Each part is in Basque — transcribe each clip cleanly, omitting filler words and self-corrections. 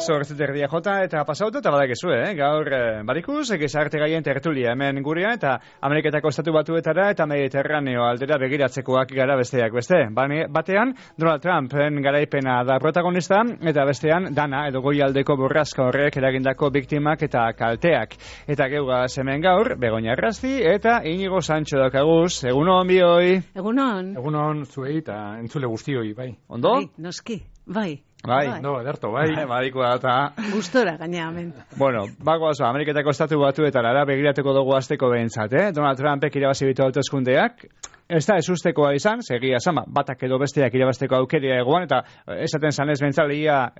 8:30 jota eta pasautu eta badakizu, gaur barikuz, egizarte gaien tertulia hemen gurean eta Ameriketako estatu batuetara eta Mediterraneo aldera begiratzekoak gara besteak beste. Batean, Donald Trumpen garaipena da protagonista eta bestean dana edo goialdeko borraska horrek eragindako biktimak eta kalteak. Eta geugaz hemen gaur, Begoña Errasti eta Inigo Sancho daukaguz. Egunon bioi. Egunon. Egunon zuei eta entzule guztioi, bai. Ondo? Bai, noski, bai. No, ederto, bai. Badikoa eta... Gustora gaina, hemen. Bueno, bagoaz, Ameriketako estatu batuetara begiratuko dugu azteko behintzat, Donald Trumpek irabazi bitu hauteskundeak. Ez da ezustekoa izan, segia zama, batak edo besteak irabazteko aukeria egoan, eta esaten zanez bentzaleia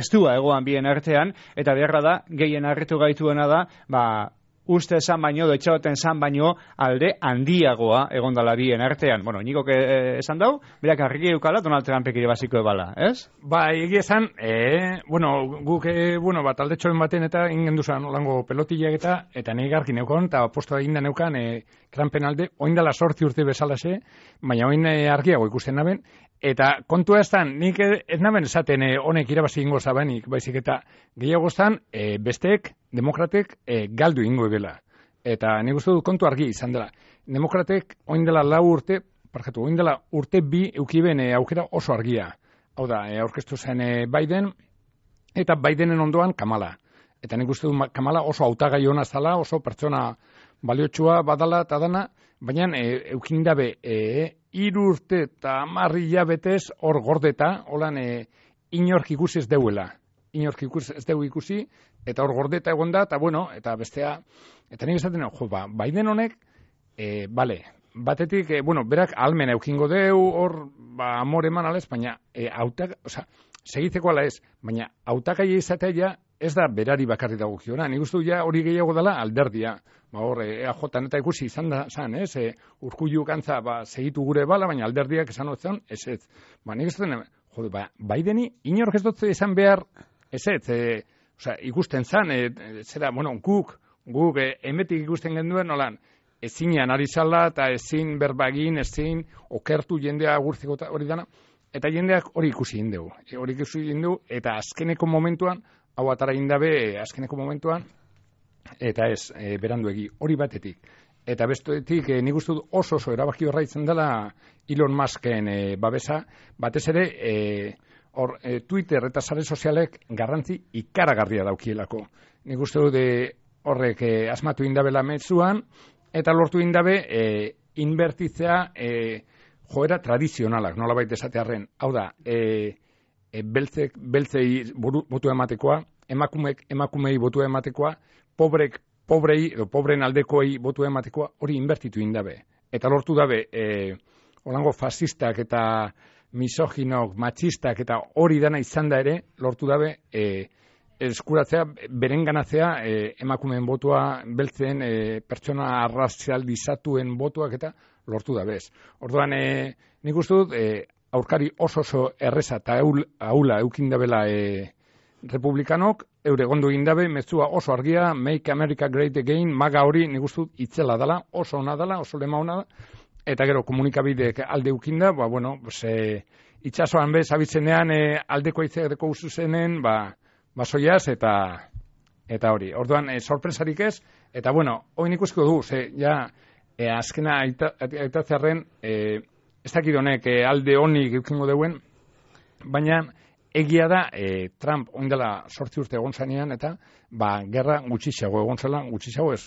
estua egoan bien artean, eta beharra da, gehien harritu gaituena da, uste esan baino, doitxagoten esan baino, alde handiagoa egondala bien artean. Bueno, nikok esan dau, berak argi eukala Donald Trumpek irabaziko ebala, ez? Egia esan, guk, taldetxoen baten eta ingen duzan olango pelotillak eta nahi garkin eukon, eta postoa egin da neukan, Trumpen alde, oindala 8 urte bezalase, baina oin argiago ikusten naben, eta kontua ez dan, nik ez naben esaten honek irabazi ingo zabenik, baizik eta gehiago estan, besteek, demokratek, galdu ingo ebela. Eta nik uste dut kontu argi izan dela. Demokratek oindela 4 urte, oindela urte 2 eukiben aukera oso argia. Hau da, aurkeztu zen Biden, eta Bidenen ondoan Kamala. Eta nik uste dut Kamala oso hautagai ona zala, oso pertsona baliotsua badala eta dana, baina eukin dabe 3 urte eta 10 hilabetez hor gordeta, holan inork ikusi ez deuela. Inork ez deu ikusi, eta hor gordeta egon da, eta bueno, eta bestea, eta nik esaten, Biden honek, batetik, berak almen eukingo deu, hor, amor eman alez, baina, segitzeko ala ez, baina, hautagai izatea ez da berari bakarri dagokiona, nik uste ja hori gehiago dela alderdia, hor, EAJ eta ikusi izan da, Urkullu kantza, segitu gure bala, baina alderdiak esan otzen, ez. Nik esaten, Bideni, inork ez dut izan behar, ikusten zan, guk emetik ikusten genduen, nolan, ezinean ari zala, eta ezin berbagin, ezin okertu jendea agurtzeko hori dana, eta jendeak hori ikusi indegu. Eta azkeneko momentuan, hau atara indabe, azkeneko momentuan, eta ez, beranduegi, hori batetik. Eta bestetik, nik uste dut oso erabaki horra izan dela Elon Musken babesa, batez ere, Twitter eta sare sozialek garrantzi ikaragarria daukielako. Nik uste dut horrek asmatu indabela metzuan, eta lortu indabe inbertitzea joera tradizionalak, nolabait esatearren. Hau da, beltzei botua ematekoa, emakumei botua ematekoa, pobrei edo pobren aldekoei botua ematekoa, hori inbertitu indabe. Eta lortu dabe, holango fasistak eta misoginok, matxistak eta hori dana izan da ere, lortu dabe, eskuratzea, berenganatzea, emakumeen botua, beltzen, pertsona arrazialdizatuen botuak eta lortu dabez. Orduan, nik uste dut, aurkari oso erreza eta aula eukindabela republikanok, eure gondo indabe, mezua oso argia, Make America Great Again, maga hori nik uste dut itzela dela, oso ona dela, oso lema ona da, eta gero komunikabideek alde ukinda, itxasoan bez abitzenean aldeko itzeko uzuzenen, basoiaz eta hori. Orduan, sorpresarik ez, eta hori ikusko du, azkena aitatzearen, ez dakit honek alde honik eukingo deuen, baina egia da, Trump oindela 8 urte egon zanean, eta gerra gutxixago egon zela, gutxixago ez,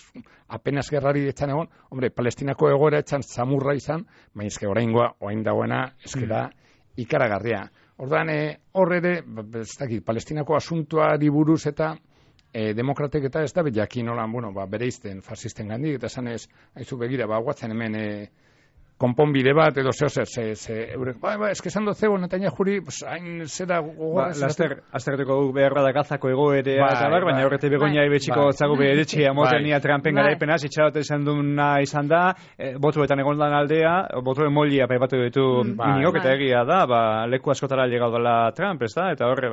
apenas gerrari etxan egon, Palestinako egoera etxan zamurra izan, baina ezke oraingoa, oain dagoena, ezke da ikaragarria. Orduan, hor ere, ez dakit, Palestinako asuntuari buruz eta demokratek eta ez da jakin nolan, bereizten, fasisten gandik, eta esan ez, haizu begira, guatzen hemen, konponbide bat, edo eske esan dut zegoen, eta juri, hain zera gogorra. Aztertuko beharra da gazako egoerea, eta baina horrete Begoña ibetxiko zagu beretxea motenia Trumpen garaipenaz, itxarote izan duna izan da, botuetan egon dan aldea, botuen molia paipatu ditu iniok, eta egia da, leku askotara llegau dela Trump, ez da, eta horre,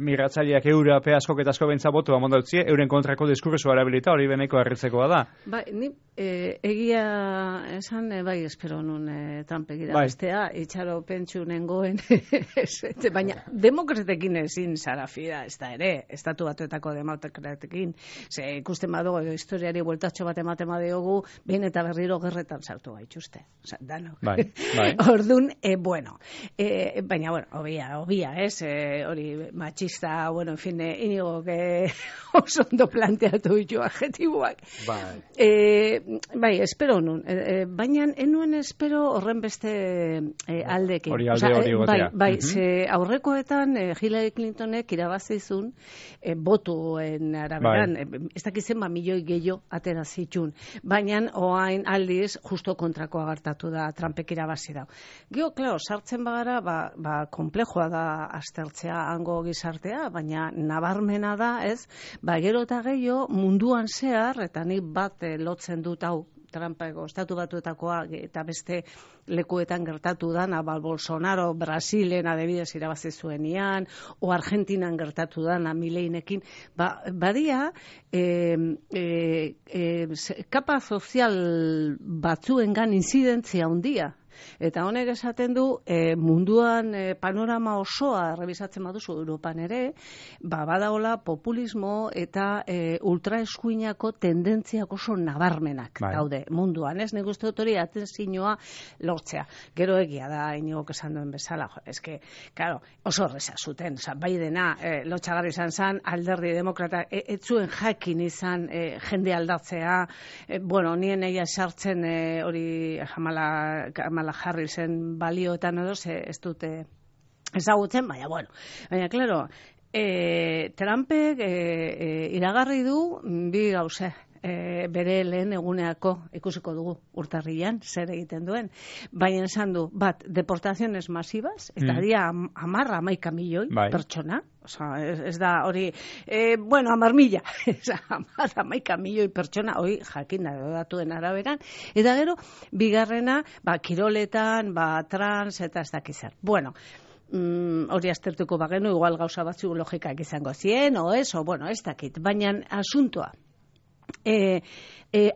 migratzaileak Europe askok eta asko bentsa botua mondautzie, euren kontrako diskurso arabilita hori beneko harritzekoa da. Ni egia esan, bai espero nun Trumpek irabaztea, itxaro pentsu nengoen, baina demokratekin ezin zara fida, ez da ere, estatu batuetako demokratekin, ze ikusten badugu, historiari bueltatxo bat ematen badiogu, behin eta berriro gerretan sartu gaituzte, danok. Bai. Ordun, bueno, baina, bueno, obia, ez, hori matxista, bueno, en fin, inigo, oso ondo planteatu ditu adjetiboak. Bai, espero nun, baina enuen espero horren beste aldekin. Hori hori gotea. Bai, ze aurrekoetan Hillary Clintonek irabazizun botuen araberan, ez dakizen milioi gehiago atera zitun, baina oain aldiz justo kontrakoa gertatu da Trumpek irabazi dau. Gero, klaro, sartzen bagara, komplexua da aztertzea hango gizartea, baina nabarmena da, ez, gero eta gehiago munduan zehar, eta nik bat lotzen dut hau, Trumpeko estatu batuetakoa eta beste lekuetan gertatu dana, Bolsonaro Brasilen adibidez irabazi zuenian, o Argentinan gertatu dana Mileinekin, badia kapa sozial batzuengan inzidentzia handia. Eta honek esaten du, munduan panorama osoa rebisatzen baduzu Europan ere, badaola populismo eta ultraeskuinako tendentziak oso nabarmenak daude munduan, ez? Nik uste dut hori atentzioa lortzea. Gero egia da, inigok esan duen bezala, eske, claro, oso horreza zuten, Bidena lotxagarri izan zen, alderdi demokrata, etzuen jakin izan jende aldatzea, bueno, nien egia sartzen hori Kamala Harrisen balioetan edo, ez dute ezagutzen, baina, claro, Trumpek iragarri du bi gauze. Bere lehen eguneako ikusiko dugu urtarrilan zer egiten duen. Baina esan du, deportaziones masivas, eta dia 11 milioi pertsona, ez da hori, 10.000, 11 milioi pertsona, hori jakin da datuen araberan, eta gero, bigarrena, kiroletan, trans, eta ez dakizar. Bueno, hori aztertuko bagenu, igual gauza batzu logikak izango zien, ez dakit, baina asuntoa,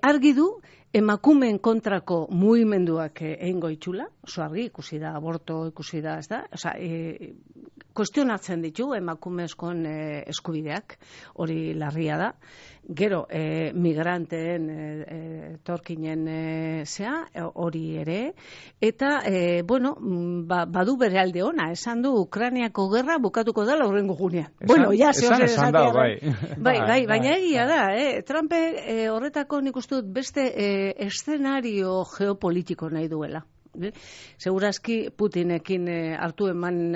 argi du emakumeen kontrako mugimenduak egingo itxula, oso argi, ikusi da aborto, ikusi da, ez da, kuestionatzen ditu emakumezkoen eskubideak, hori larria da. Gero, migranteen torkinen hori ere, eta, badu bere alde ona, esan du Ukrainiako gerra bukatuko dela horrengo gunean. Esan da, bai, baina egia da, Trump horretako nik uste dut beste eszenario geopolitiko nahi duela. Segurazki Putinekin hartu eman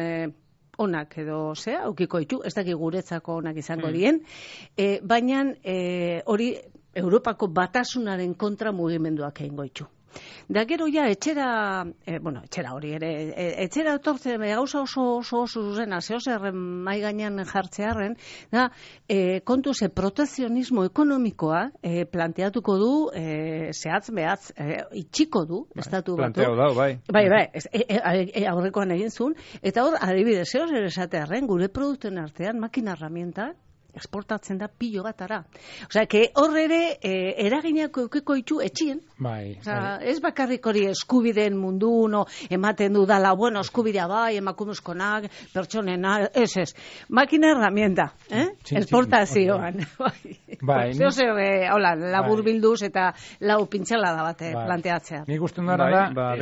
onak edo aukiko ditu, ez dakik guretzako onak izango dien, baina hori Europako batasunaren kontra mugimenduak egingo ditu. Da gero etxera hori ere, etxera etortzen gauza oso zuzena, zehozerren mai gainean jartzearen, da, kontu protezionismo ekonomikoa planteatuko du, zehatz behatz, itxiko du, estatu batu. Planteau da, bai. Bai, aurrekoan egin zuen, eta hor, adibidez, zehozer esatearen, gure produktuen artean, makina herramienta, exportatzen da pilo batara. Osea, hor ere eraginako eukiko ditu etxien. Ez bakarrik hori eskubideen mundu ematen du dala, eskubidea emakumezkonak, pertsonena, ez. Makina herramienta, exportazioan. Hola, labur bilduz eta lau pintxela da bate planteatzea. Nik usten dara da...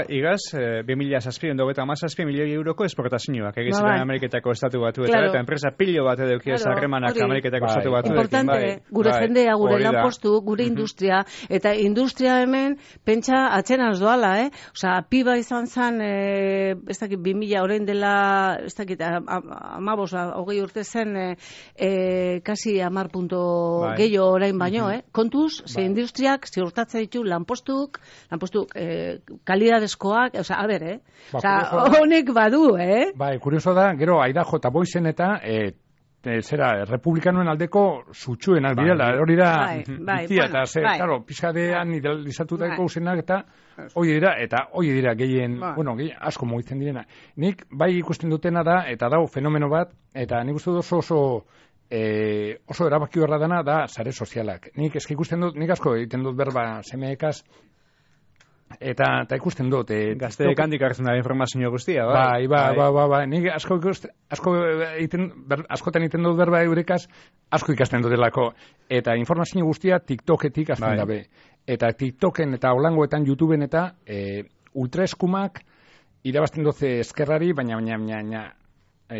Igaz, 2007 milioi euroko exportazioak egiziren Ameriketako estatu batuetara, eta enpresa pilo bat edeukia zarremanak Ameriketako estatu batuekin. Importante, gure jendea, gure lanpostu, gure industria, eta industria hemen, pentsa atxenaz doala, Osa, piba izan zen, ez dakit, 2000 orain dela, ez dakit, 20 urte zen, kasi 10 punto gehiago orain baino, Kontuz, ze industriak ziurtatzen ditu lanpostuk, kalidadezkoak, osa, a ber, Osa, honek badu, Bai, kurioso da, gero, Idaho eta Boisen eta republikanoen aldeko zutxuenak direla, hori da bizia, eta claro, pixkadean idealizatutako usenak, eta hoi dira gehien, asko mugitzen direna. Nik bai ikusten dutena da, eta dago fenomeno bat, eta nik uste dut oso erabaki horra dana da sare sozialak. Nik ikusten dut, nik asko egiten dut berba semeekaz, Eta ikusten dut. Gazteek handik hartzen da informazio guztia, bai. Nik askotan egiten dut berba eurekaz, asko ikasten dutelako. Eta informazio guztia TikToketik azten dabe. Eta TikToken eta holangoetan, YouTubeen eta ultraeskumak irabazten doze eskerrari, baina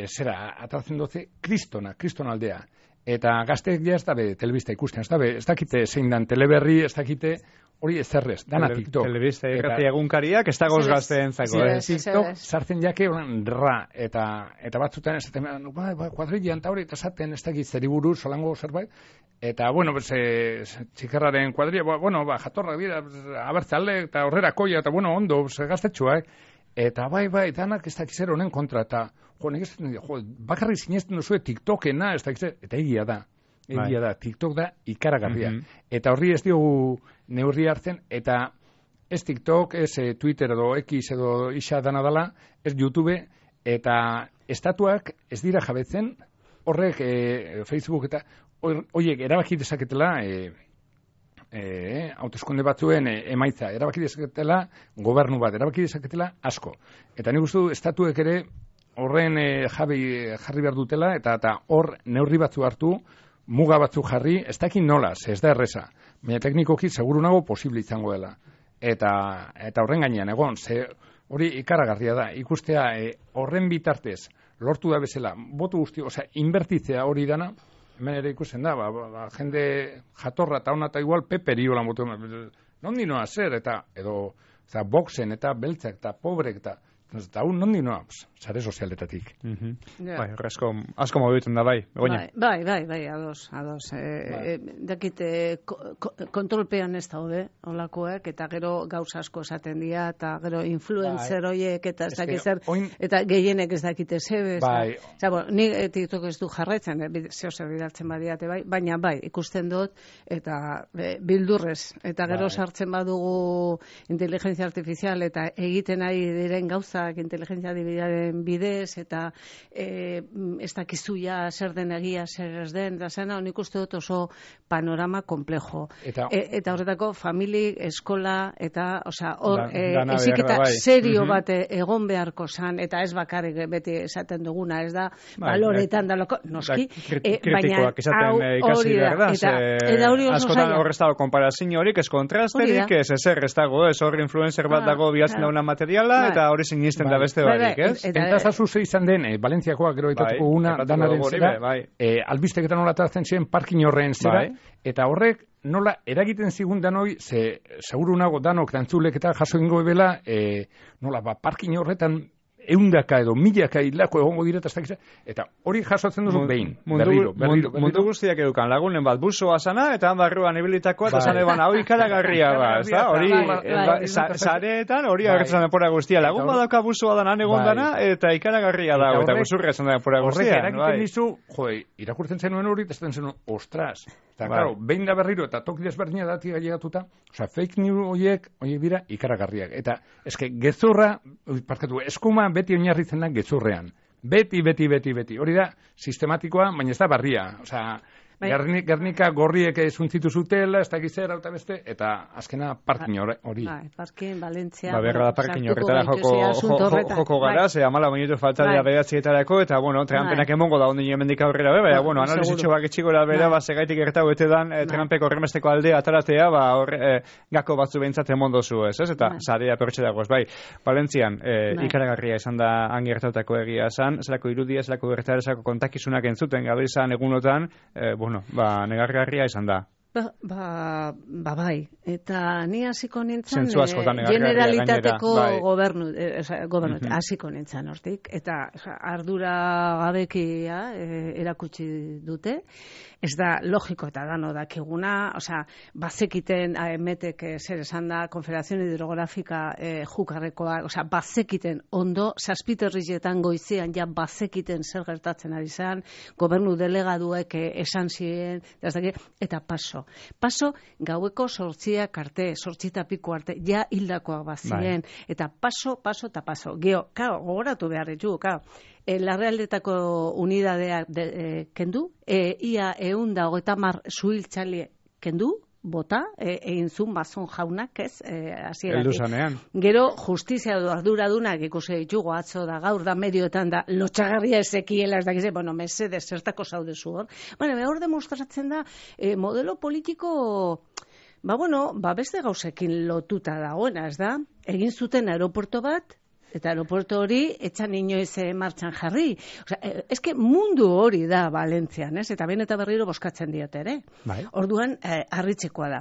zera, atratzen doze kristona aldea. Eta gazteek ja ez dabe telebista ikusten, ez dakite zein dan teleberri, ez dakite hori ezerrez, dana TikTok. Telebista irrati egunkariak ez dagoz gazteen zako. TikTok sartzen jake horan eta batzutan esaten, kuadrillan eta hori, eta esaten ez dakit zeriburu, solango zerbait, eta, bueno, txikarraren kuadrilla, jatorra bida, abertzale, eta horrera koia, eta, bueno, ondo, gaztetxua, Eta bai, danak ez dakiz zer honen kontra, eta bakarrik sinesten duzue TikTokena, ez dakiz, eta egia da, TikTok da ikaragarria. Eta horri ez diogu neurri hartzen, eta ez TikTok, ez Twitter edo X edo isa dana dala, ez YouTube, eta estatuak ez dira jabetzen, horrek Facebook eta horiek erabaki dezaketela, hauteskunde batzuen emaitza, erabaki dezaketela gobernu bat, erabaki dezaketela asko. Eta nik uste du estatuek ere horren jarri behar dutela, eta hor neurri batzu hartu, muga batzu jarri, ez dakit nola, ez da erreza. Baina teknikoki seguru nago posible izango dela. Eta horren gainean egon, hori ikaragarria da, ikustea horren bitartez lortu da bezala, botu guzti, inbertitzea hori dana, hemen ere ikusten da, jende jatorra eta hona eta igual peperi holan botu, nondi noa zer, edo boxen eta beltzak eta pobrek eta nondi noa, sare sozialetatik. Bai, asko mobitzen da, bai. Bai, ados. Dakite, kontrolpean ez daude, olakoek, eta gero gauza asko esaten dira, eta gero influencer horiek, eta ez dakit zer, eta gehienek ez dakite zebe. Nik TikTok ez du jarraitzen, zeo zer bidaltzen badiate, baina bai, ikusten dut, eta bildurrez, eta gero sartzen badugu inteligentzia artifizial, eta egiten ari diren gauzak inteligentzia artifizialen bidez, eta ez dakizuia zer den egia, zer ez den, eta zena, nik uste dut oso panorama komplejo. Eta horretako, famili, eskola, eta, hor, eziketa serio bat egon beharko zan, eta ez bakarrik beti esaten duguna, ez da, baloretan daloko, noski, baina hori da, eta hori oso zaila. Askotan hor ez dago konparazio horik, ez kontrasterik, ez ezer, ez dago, ez hor influencer bat dago bihatzen dauna materiala, eta hori sinisten da beste barik, ez? Eta zazuze izan den, Valentziakoak gero etatuko una, danaren zera, albizteketan nola tartzen ziren parkin horren zera, eta horrek nola eragiten zigun danoi, seguru nago danok dantzulek eta jaso ingo ebela, nola parkin horretan eundaka edo milaka hilako egongo direta eta hori jasotzen duzu behin, berriro. Mundu guztiak edukan lagunen bat busoa zana, eta han barruan ibilitakoa, eta zan eban hau ikaragarria hori zareetan hori agertzen epora guztia. Lagun badauka busoa danan egon dana, eta ikaragarria da, eta guzurretzen da epora guztia. Horrek eragiten dizu, irakurtzen zenuen hori, eta zaten zenuen, ostras, eta claro, behin da berriro, eta toki desberdina dati gailegatuta, fake news horiek dira ikaragarriak. Eta eske gezurra, eskuma beti oinarritzen da gezurrean. Beti. Hori da sistematikoa, baina ez da barria. Gernika gorriek zuntzitu zutela, ez dakiz zer, eta azkena parkin hori. Parkin, Valentzia. Berra da parkin horretara joko gara, ze amala minutu falta dira behatzietarako, eta, Trumpenak emongo da ondi hemendik aurrera, baina, analizitxo bak etxigora bera, segaitik gertau ete dan, Trumpeko horremesteko aldea ataratea, gako batzu behintzat emondo zu, ez? Eta zarea pertxe dagoz, bai. Valentzian, ikaragarria izan da angertatako egia esan, zelako irudia, zelako gertara, zelako kontakizunak entzuten, gabe izan egunotan, negargarria izan da. Bai, eta ni hasiko nintzen generalitateko gobernu hasiko nintzen hortik, eta ardura gabekia erakutsi dute, ez da logiko eta dano dakiguna, bazekiten AEMetek zer esan da, Konfederazione Hidrografika jukarrekoa, bazekiten ondo, zazpiterrizetan goizean ja bazekiten zer gertatzen ari zen, gobernu delegaduek esan ziren, eta paso, gaueko 8 arte, 8 piko arte, ja hildakoa bazien, eta paso. Geo, gogoratu behar ditu, Larrealdetako unidadea kendu, ia 130 zuhiltzaile kendu, bota, egin zuen Mazon jaunak, ez, hasieratik. Heldu zanean. Gero, justizia du arduradunak ikusi ditugu atzo da gaur da medioetan da lotxagarria ezekiela, ez dakize, bueno, mesedez, zertako zaudezu hor. Bueno, hor demostratzen da, modelo politiko, beste gauzekin lotuta dagoena, ez da? Egin zuten aeroporto bat, eta aeroporto hori etxan inoiz martxan jarri. Osea, eske mundu hori da Valentzian, ez? Eta behin eta berriro boskatzen diote ere. Bai. Orduan, harritzekoa da.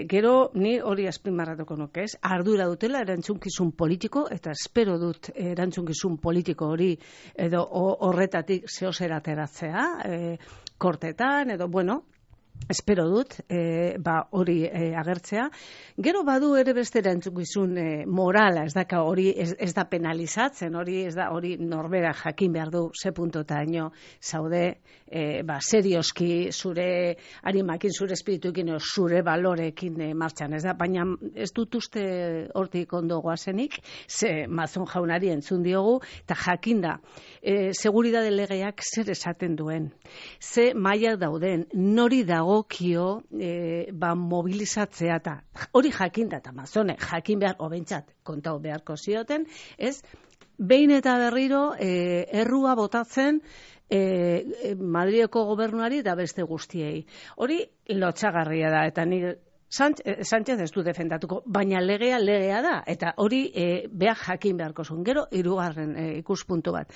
Gero ni hori azpimarratuko nuke, ez? Ardura dutela erantzunkizun politiko, eta espero dut erantzunkizun politiko hori edo horretatik zehozer ateratzea, kortetan, edo, espero dut, hori agertzea. Gero badu ere beste erantzukizun morala, hori ez da penalizatzen, hori norbera jakin behar du ze puntotaino zaude, serioski zure arimakin, zure espirituekin, zure balorekin martxan, ez da? Baina ez dut uste hortik ondo goazenik, ze Mazon jaunari entzun diogu, eta jakinda, seguridade legeak zer esaten duen, ze mailak dauden, nori dagokio mobilizatzea, eta hori jakinda, eta Mazone jakin behar, obentzat, kontau beharko zioten, ez? Behin eta berriro errua botatzen Madrileko gobernuari eta beste guztiei. Hori lotxagarria da, eta ni Sánchez ez du defendatuko, baina legea da, eta hori behar jakin beharko zuen. Gero, hirugarren ikuspuntu bat.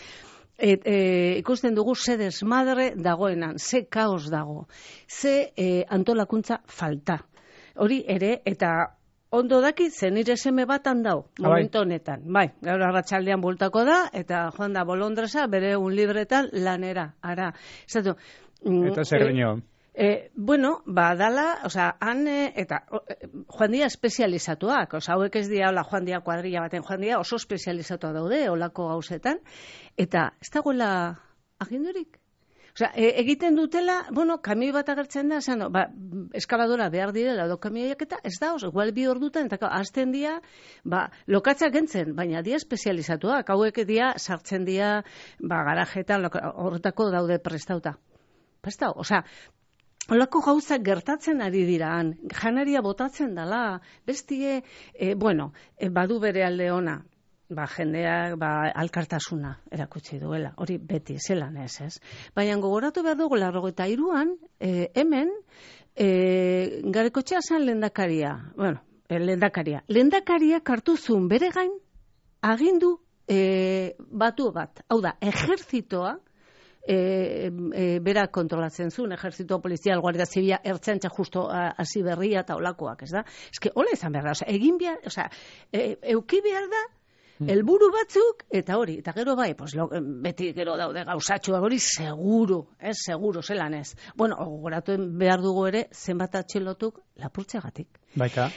Ikusten dugu ze desmadre dagoenan, ze kaos dago, ze antolakuntza falta. Hori ere, eta ondo daki, zen nire seme bat handau, momentu honetan. Bai, gaur arratsaldean bultako da, eta joan da Bolondresa, bere un libretan lanera, ara. Zatu, eta zer gineo? Dala, han, eta joan dira espezializatuak, hauek ez dira, joan dira kuadrilla baten, joan dira oso espezializatuak daude, olako gauzetan, eta ez dagoela agindurik. Egiten dutela, kamioi bat agertzen da, eskaladora behar direla, kamioiak eta ez da, igual 2 ordutan, eta hasten dira, lokatzak gentzen, baina dira espezializatuak, hauek dira, sartzen dira, garajetan, horretako daude prestauta. Prestau, holako gauzak gertatzen ari diraan, janaria botatzen dela, bestie, badu bere alde ona, jendeak alkartasuna erakutsi duela, hori beti zelan ez. Baina gogoratu behar dugu 93an, hemen, Garaikoetxea zen lehendakaria, lehendakariak hartu zuen bere gain agindu batu bat, hau da, ejertzitoa, berak kontrolatzen zuen, ejertzito polizial, guardia zibila, ertzaintza justo hasi berria eta olakoak, ez da? Eske, hola izan behar da, egin behar, euki behar da, helburu batzuk, eta hori, eta gero bai, beti gero daude gauzatxoak hori, seguru, zelan ez. Gogoratu behar dugu ere, zenbat atxilotuk lapurtzeagatik. Baika.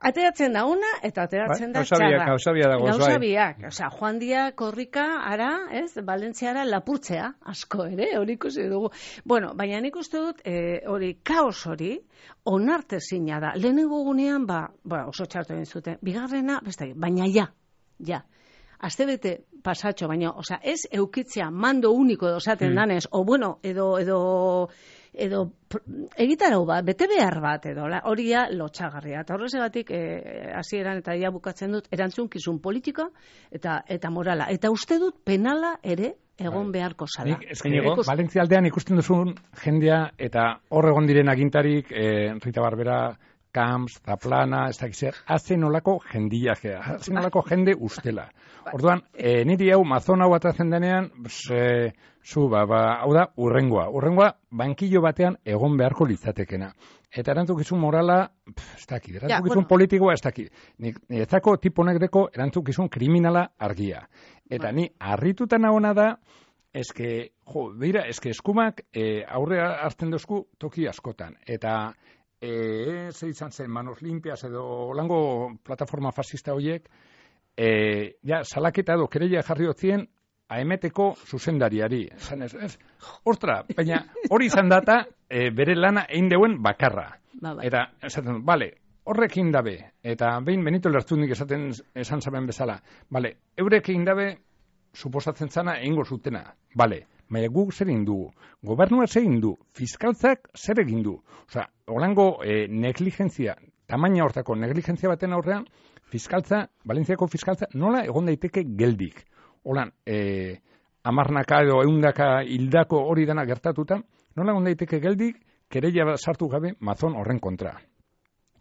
Ateratzen da una, eta ateratzen da txarra. Gauzabiak dagoz, bai. Gauzabiak, joan dia korrika, ara, Valentziara lapurtzea, asko ere, hori ikusi dugu. Baina nik uste dut, hori, kaos hori, onartezina da. Lehenengo gunean, oso txartu egin zuten. Bigarrena, baina ja, astebete pasatxo, baina, ez eukitzea mando uniko edo esaten danez, edo egitarau bat, bete behar bat, edo hori lotxagarria. Eta horrezegatik, hasieran eta bukatzen dut, erantzunkizun politika eta morala. Eta uste dut penala ere egon beharko zala. Valentzia aldean ikusten duzun jendea, eta hor egon diren agintarik, Rita Barbera, Camps, Zaplana, ez dakizer, hazen olako jendiakea, hazen olako jende ustela. Orduan, niri hau, Mazon hau atatzen denean, hau da, urrengoa, bankillo batean egon beharko litzatekena. Eta erantzukizun morala, ez dakit, erantzukizun politikoa, ez dakit. Niretzako tiponek deko erantzukizun kriminala argia. Eta ni harritutan hona da, eske eskumak aurrea hartzen dozku toki askotan. Eta ze izan zen, Manos Limpias edo holango plataforma fascista horiek, salaketa edo kereia jarri hotzien AMT-ko zuzendariari. Ostra, baina hori izan data bere lana egin deuen bakarra. Eta, esaten, horrekin dabe, eta behin Benito Lertzunik esan zaben bezala, eurek egin dabe, suposatzen zana egingo zutena, baina guk zer egin dugu, gobernua zer egin du, fiskaltzak zer egin du. Osea, holango negligentzia, tamaina hortako negligentzia baten aurrean, fiskaltza, Valentziako fiskaltza, nola egon daiteke geldik. Holan, amarnaka edo eundaka hildako hori dena gertatuta, nola egon daiteke geldik, kereia sartu gabe Mazon horren kontra.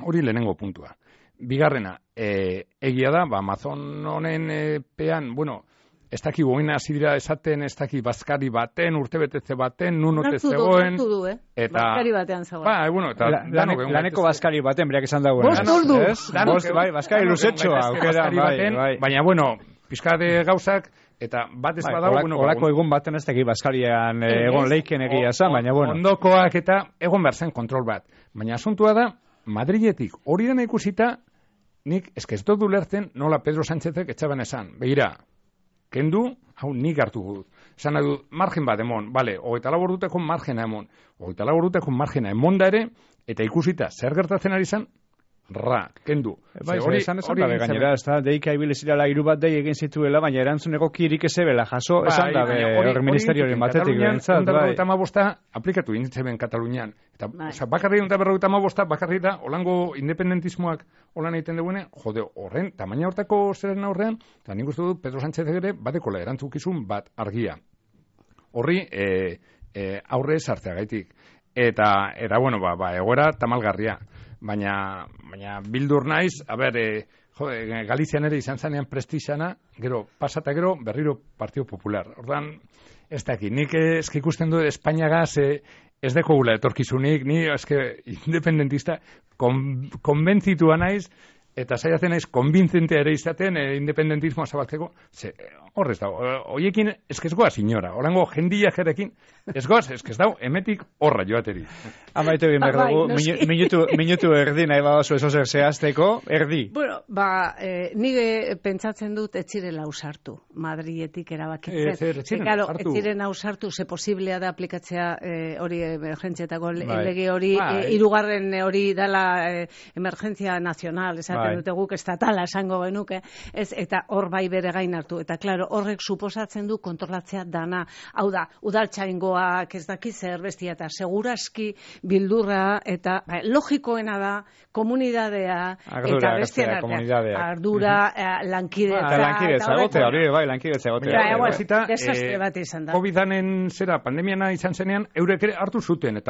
Hori lehenengo puntua. Bigarrena, egia da, Mazon honen pean, bueno, ez daki goina hasi dira esaten, ez daki bazkari baten, urtebetetze baten, nunote zegoen. Eta bazkari batean zegoen. Ba, bueno, eta laneko bazkari baten, berak esan dagoen. Bost ordu. Bai, bazkari luzetxoa, aukera, bai. Baina, bueno, pizkade gauzak, eta bat ez badago, bueno, olako egun baten ez teki bazkarian egon leiken egia esan, baina, bueno. Ondokoak eta egon behar zen kontrol bat. Baina asuntua da, Madriletik hori dena ikusita, nik ez dut ulertzen nola Pedro Sánchezek etxaban esan. Begira, kendu, hau nik hartu dut. Esan nahi dut, margen bat emon, bale, 24 orduteko margena emon. 24 orduteko margena emon da ere, eta ikusita zer gertatzen ari zen, kendu. Bai, hori esan dabe gainera, ez da, deika ibilezirala 3 bat dei egin zituela, baina erantzuneko kirik ezebela jaso, esan dabe hori ministerioaren batetik behintzat. Bai, 155 aplikatu inditzen Katalunian. Eta, bakarri 155 bakarri da, holango independentismoak holan egiten dugune, jode, horren, tamaina hortako zeren aurrean, eta nik uste dut Pedro Sánchez ere, batekola erantzukizun bat argia. Horri, aurre sartzeagaitik. Eta, bueno, egoera tamalgarria. Baina bildur naiz, Galizian ere izan zanean prestixana, gero, pasata gero, berriro Partido Popular. Ordan, ez daki, nik eski ikusten du Espainiagaz ez deko gula etorkizunik, ni eske independentista konbentzitua naiz, eta saiatzen naiz konbintzentea ere izaten independentismoa zabaltzeko, horrez dago, hoiekin eskezgoa signora, orango jendia jerekin, esgoaz, eskez dago, emetik horra joateri. Amaitu egin behar dugu, minutu erdi nahi badazu eso zer zehazteko, erdi. Bueno, nire pentsatzen dut etzirela ausartu, Madrietik erabakitzen. Etziren ausartu, ze posiblea da aplikatzea hori emergentzietako lege hori, 3. hori dala emergentzia nazional, esaten dute guk estatala esango genuke, eta hor bai bere gain hartu, eta klaro, horrek suposatzen du kontrolatzea dana, hau da, udaltzaingoak ez daki zer bestia, eta seguraski bildurra, eta logikoena da, komunidadea, eta bestien ardura, lankidetza. Lankidetza egotea. Desastre bat izan da. COVID-anen zera, pandemiana izan zenean, eurek ere hartu zuten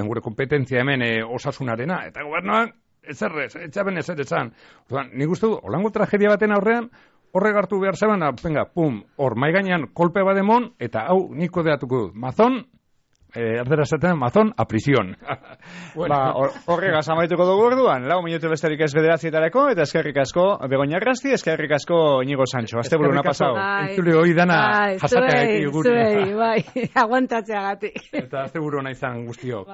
gure kompetentzia hemen osasunarena, eta gobernuak, etxaben ezer esan. Nik uste du, holango tragedia baten aurrean, horrek hartu behar zeban, hor maigainan kolpe bademon, eta hau niko deatuko dut. Mazon, erdera zaten, Mazon, a prisión. Horregaz amaituko dugu orduan, 4 minutu besterik ez 9:00, eta eskerrik asko Begoña Arrasti, eskerrik asko Iñigo Sancho. Azte buruna pasau. Entzule hori dana jasateagatik. Bai, aguantatzeagatik. Eta azte buruna izan guztiok.